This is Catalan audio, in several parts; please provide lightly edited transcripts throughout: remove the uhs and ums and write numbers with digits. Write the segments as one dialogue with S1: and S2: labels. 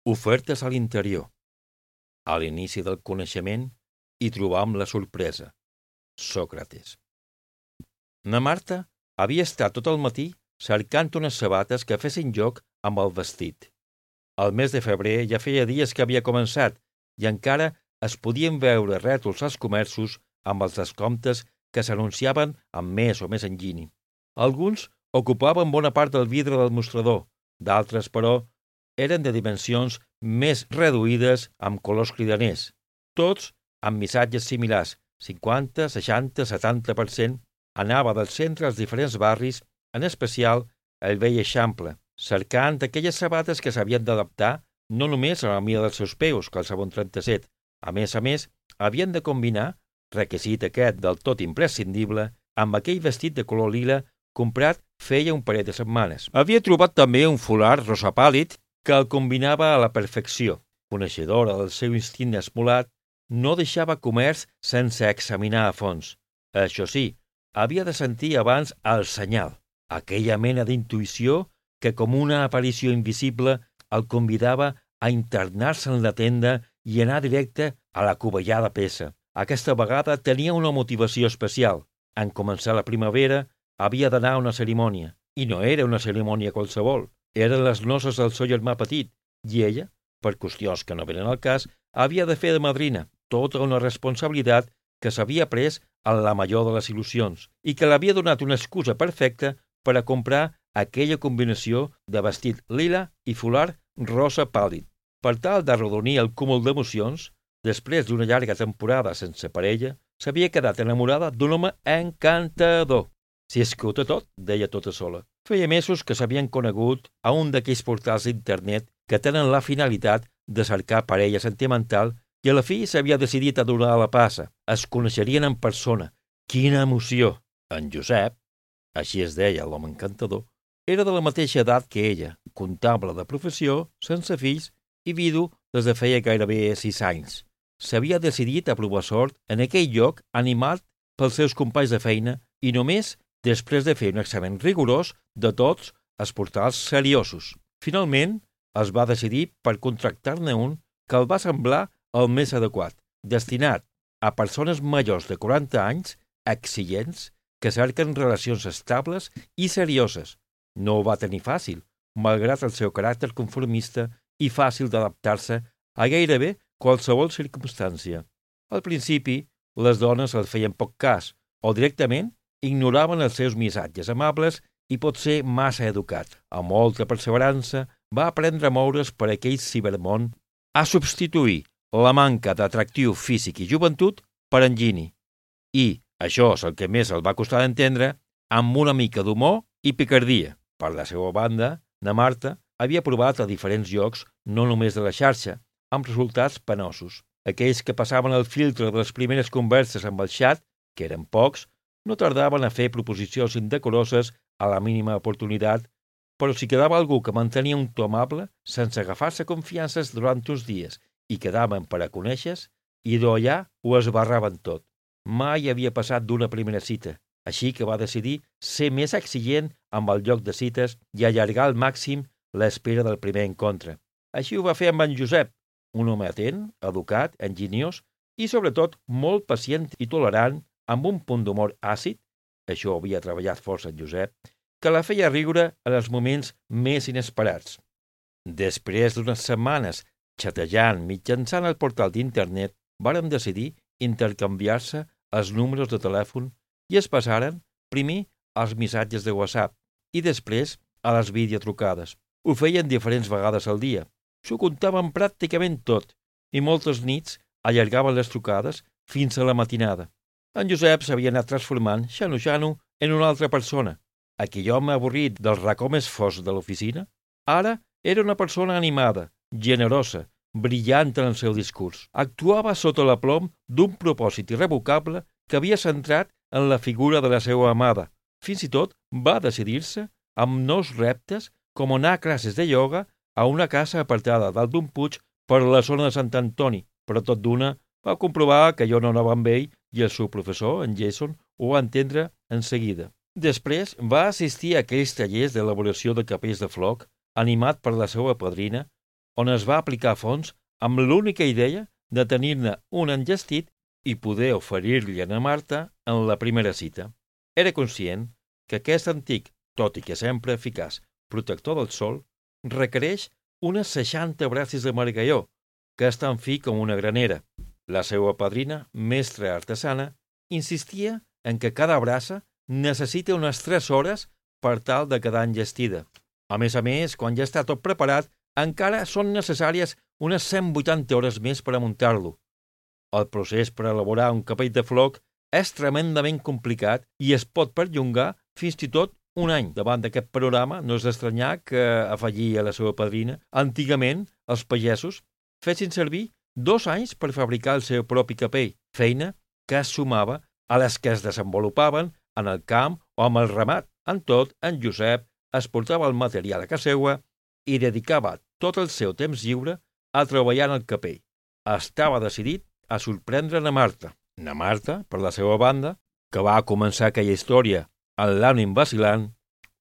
S1: Ofertes a l'interior. A l'inici del coneixement hi trobam la sorpresa. Sòcrates. Na Marta havia estat tot el matí cercant unes sabates que fessin joc amb el vestit. El mes de febrer ja feia dies que havia començat i encara es podien veure rètols als comerços amb els descomptes que s'anunciaven amb més o més enginy. Alguns ocupaven bona part del vidre del mostrador, d'altres, però, eren de dimensions més reduïdes amb colors cridaners, tots amb missatges similars, 50, 60, 70%, anava del centre als diferents barris, en especial el vell Eixample, cercant aquelles sabates que s'havien d'adaptar no només a la mida dels seus peus, que el segon 37, a més, havien de combinar, requisit aquest del tot imprescindible, amb aquell vestit de color lila comprat feia un parell de setmanes. Havia trobat també un folar rosa pàl·lid que el combinava a la perfecció. Coneixedora del seu instint esmolat, no deixava comerç sense examinar a fons. Això sí, havia de sentir abans el senyal, aquella mena d'intuïció que com una aparició invisible el convidava a internar-se en la tenda i anar directe a la covellada peça. Aquesta vegada tenia una motivació especial. En començar la primavera havia d'anar a una cerimònia, i no era una cerimònia qualsevol. Eren les noces del seu germà petit, i ella, per qüestions que no venen al cas, havia de fer de madrina, tota una responsabilitat que s'havia pres a la major de les il·lusions i que l'havia donat una excusa perfecta per a comprar aquella combinació de vestit lila i folar rosa pàl·lid. Per tal d'arrodonir el cúmul d'emocions, després d'una llarga temporada sense parella, s'havia quedat enamorada d'un home encantador. Si és que ho té tot, deia tota sola. Feia mesos que s'havien conegut a un d'aquells portals d'internet que tenen la finalitat de cercar parella sentimental i a la fi s'havia decidit a donar la passa. Es coneixerien en persona. Quina emoció! En Josep, així es deia l'home encantador, era de la mateixa edat que ella, comptable de professió, sense fills i vidu des de feia gairebé 6 anys. S'havia decidit a provar sort en aquell lloc animat pels seus companys de feina i només després de fer un examen rigorós de tots els portals seriosos. Finalment, es va decidir per contractar-ne un que el va semblar el més adequat, destinat a persones majors de 40 anys, exigents, que cerquen relacions estables i serioses. No ho va tenir fàcil, malgrat el seu caràcter conformista i fàcil d'adaptar-se a gairebé qualsevol circumstància. Al principi, les dones el feien poc cas, o directament ignoraven els seus missatges amables i potser massa educat. Amb molta perseverança va aprendre a moure's per aquell cibermón, a substituir la manca d'atractiu físic i joventut per enginy. I, això és el que més el va costar d'entendre, amb una mica d'humor i picardia. Per la seva banda, na Marta havia provat a diferents llocs, no només de la xarxa, amb resultats penosos. Aquells que passaven el filtre de les primeres converses amb el xat, que eren pocs, no tardaven a fer proposicions indecoroses a la mínima oportunitat, però si quedava algú que mantenia un to amable, sense agafar-se confiances durant uns dies i quedaven per a conèixer-se, i d'allà ho esbarraven tot. Mai havia passat d'una primera cita, així que va decidir ser més exigent amb el lloc de cites i allargar al màxim l'espera del primer encontre. Així ho va fer amb en Josep, un home atent, educat, enginyós i, sobretot, molt pacient i tolerant, amb un punt d'humor àcid, això ho havia treballat força en Josep, que la feia riure en els moments més inesperats. Després d'unes setmanes xatejant mitjançant el portal d'internet, varen decidir intercanviar-se els números de telèfon i es passaren, primer, als missatges de WhatsApp i després a les videotrucades. Ho feien diferents vegades al dia. S'ho contaven pràcticament tot i moltes nits allargaven les trucades fins a la matinada. En Josep s'havia anat transformant, xano, en una altra persona. Aquell home avorrit del racó més fosc de l'oficina, ara era una persona animada, generosa, brillant en el seu discurs. Actuava sota l'aplom d'un propòsit irrevocable que havia centrat en la figura de la seva amada. Fins i tot va decidir-se amb nous reptes com anar a classes de ioga a una casa apartada dalt d'un puig per la zona de Sant Antoni, però tot d'una va comprovar que jo no anava amb ell i el seu professor, en Jason, ho va entendre en seguida. Després va assistir a aquells tallers d'elaboració de capells de floc, animat per la seva padrina, on es va aplicar a fons amb l'única idea de tenir-ne un enllestit i poder oferir-li a na Marta en la primera cita. Era conscient que aquest antic, tot i que sempre eficaç, protector del sol, requereix unes 60 braces de margalló, que és tan fi com una granera. La seva padrina, mestra artesana, insistia en que cada braça necessita unes 3 hores per tal de quedar enllestida. A més, quan ja està tot preparat, encara són necessàries unes 180 hores més per a muntar-lo. El procés per elaborar un capell de floc és tremendament complicat i es pot perllongar fins i tot un any. Davant d'aquest panorama, no és d'estranyar que, afegia la seva padrina, antigament els pagesos fessin servir 2 anys per fabricar el seu propi capell, feina que es sumava a les que es desenvolupaven en el camp o amb el ramat. En tot, en Josep es portava el material a casa seva i dedicava tot el seu temps lliure a treballar en el capell. Estava decidit a sorprendre na Marta. Na Marta, per la seva banda, que va començar aquella història amb l'ànim vacilant,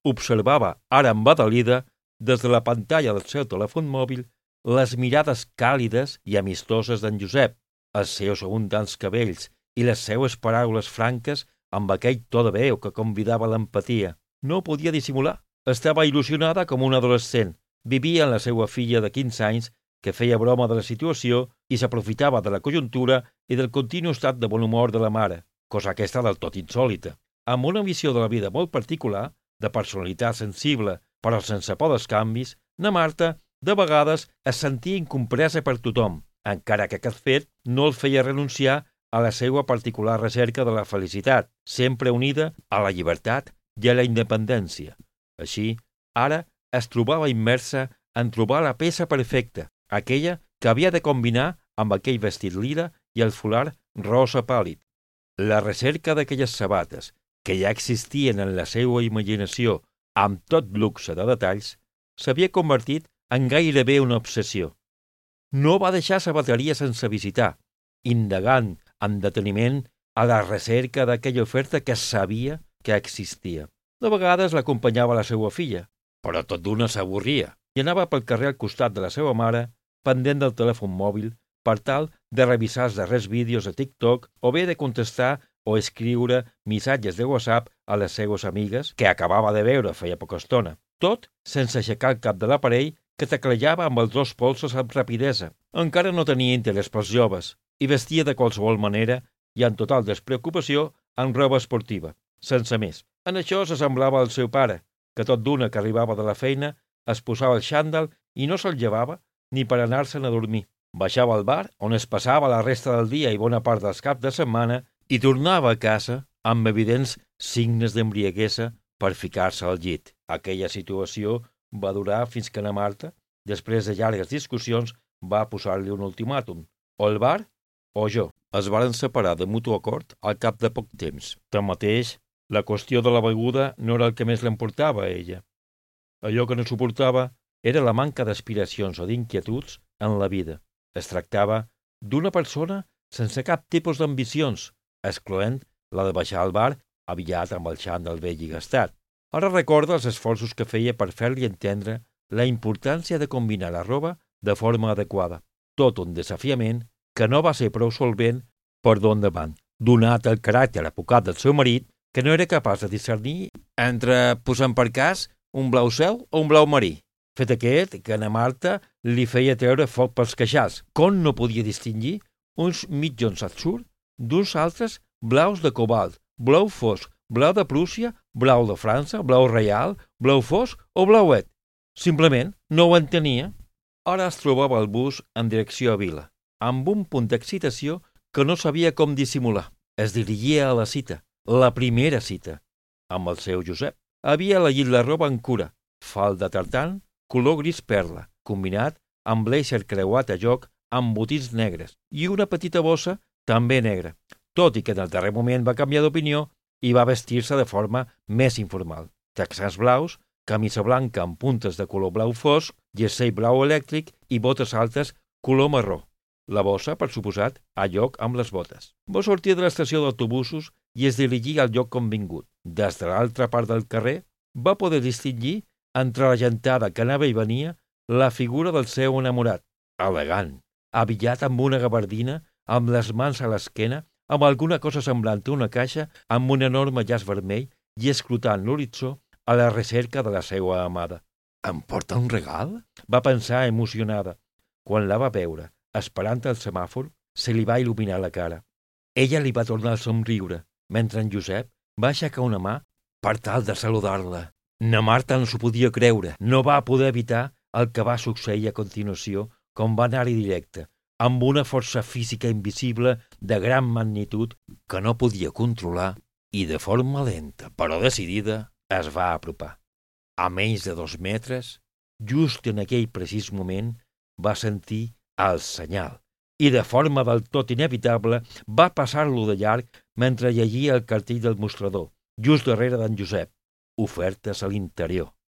S1: observava ara embadalida des de la pantalla del seu telèfon mòbil les mirades càlides i amistoses d'en Josep, els seus abundants cabells i les seues paraules franques amb aquell to de veu que convidava a l'empatia. No podia dissimular. Estava il·lusionada com una adolescent. Vivia amb la seva filla de 15 anys que feia broma de la situació i s'aprofitava de la conjuntura i del continu estat de bon humor de la mare, cosa aquesta del tot insòlita. Amb una visió de la vida molt particular, de personalitat sensible però sense por dels canvis, na Marta de vegades es sentia incompresa per tothom, encara que aquest fet no el feia renunciar a la seva particular recerca de la felicitat, sempre unida a la llibertat i a la independència. Així, ara es trobava immersa en trobar la peça perfecta, aquella que havia de combinar amb aquell vestit lila i el folar rosa pàl·lid. La recerca d'aquelles sabates, que ja existien en la seva imaginació amb tot luxe de detalls, s'havia convertit en gairebé una obsessió. No va deixar sabateria sense visitar, indagant amb deteniment a la recerca d'aquella oferta que sabia que existia. De vegades l'acompanyava la seva filla, però tot d'una s'avorria i anava pel carrer al costat de la seva mare, pendent del telèfon mòbil, per tal de revisar els darrers vídeos de TikTok o bé de contestar o escriure missatges de WhatsApp a les seues amigues que acabava de veure feia poca estona. Tot sense aixecar el cap de l'aparell que teclejava amb els 2 polsos amb rapidesa. Encara no tenia interès pels joves i vestia de qualsevol manera i en total despreocupació en roba esportiva, sense més. En això s'assemblava al seu pare, que tot d'una que arribava de la feina es posava el xandall i no se'l llevava ni per anar-se'n a dormir. Baixava al bar, on es passava la resta del dia i bona part dels caps de setmana, i tornava a casa amb evidents signes d'embriaguesa per ficar-se al llit. Aquella situació va durar fins que na Marta, després de llargues discussions, va posar-li un ultimàtum. O el bar o jo. Es varen separar de mutu acord al cap de poc temps. Tanmateix, la qüestió de la beguda no era el que més l'emportava a ella. Allò que no suportava era la manca d'aspiracions o d'inquietuds en la vida. Es tractava d'una persona sense cap tipus d'ambicions, excloent la de baixar al bar aviat amb el xandall vell i gastat. Ara recorda els esforços que feia per fer-li entendre la importància de combinar la roba de forma adequada. Tot un desafiament que no va ser prou solvent per d'on davant, donat el caràcter apocat del seu marit, que no era capaç de discernir entre, posant per cas, un blau cel o un blau marí. Fet aquest, que a na Marta li feia treure foc pels queixals, com no podia distingir uns mitjons atzur d'uns altres blaus de cobalt, blau fosc, blau de Prússia, blau de França, blau reial, blau fosc o blauet. Simplement no ho entenia. Ara es trobava al bus en direcció a Vila, amb un punt d'excitació que no sabia com dissimular. Es dirigia a la cita, la primera cita, amb el seu Josep. Havia elegit la roba en cura, falda tartan, color gris perla, combinat amb blazer creuat a joc amb botins negres i una petita bossa també negra, tot i que en el darrer moment va canviar d'opinió i va vestir-se de forma més informal. Texans blaus, camisa blanca amb puntes de color blau fosc, jersei blau elèctric i botes altes color marró. La bossa, per suposat, a lloc amb les botes. Va sortir de l'estació d'autobusos i es dirigia al lloc convingut. Des de l'altra part del carrer va poder distingir entre la gentada que anava i venia la figura del seu enamorat, elegant, abillat amb una gabardina, amb les mans a l'esquena, amb alguna cosa semblant a una caixa, amb un enorme llaç vermell i escrutant l'horitzó a la recerca de la seva amada. «Em porta un regal?», va pensar emocionada. Quan la va veure, esperant el semàfor, se li va il·luminar la cara. Ella li va tornar el somriure, mentre en Josep va aixecar una mà per tal de saludar-la. Na Marta no s'ho podia creure, no va poder evitar el que va succeir a continuació, com va anar-hi directe, amb una força física invisible de gran magnitud que no podia controlar i de forma lenta però decidida es va apropar. A menys de 2 metres, just en aquell precís moment, va sentir el senyal i de forma del tot inevitable va passar-lo de llarg mentre llegia el cartell del mostrador, just darrere d'en Josep, ofertes a l'interior.